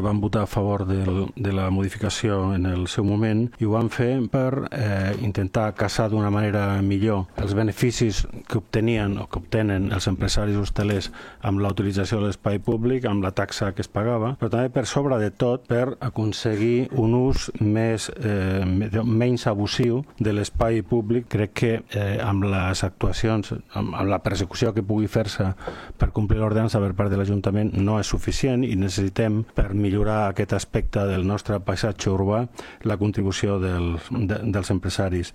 Van votar a favor de la modificació en el seu moment i ho van fer per intentar casar d'una manera millor els beneficis que obtenien o que obtenen els empresaris hostelers amb la utilització de l'espai públic, amb la taxa que es pagava, però també per sobre de tot per aconseguir un ús menys abusiu de l'espai públic. Crec que amb les actuacions, amb la persecució que pugui fer-se per complir l'ordenança per part de l'Ajuntament no és suficient i necessitem, per millorar aquest aspecte del nostre paisatge urbà, la contribució dels empresaris.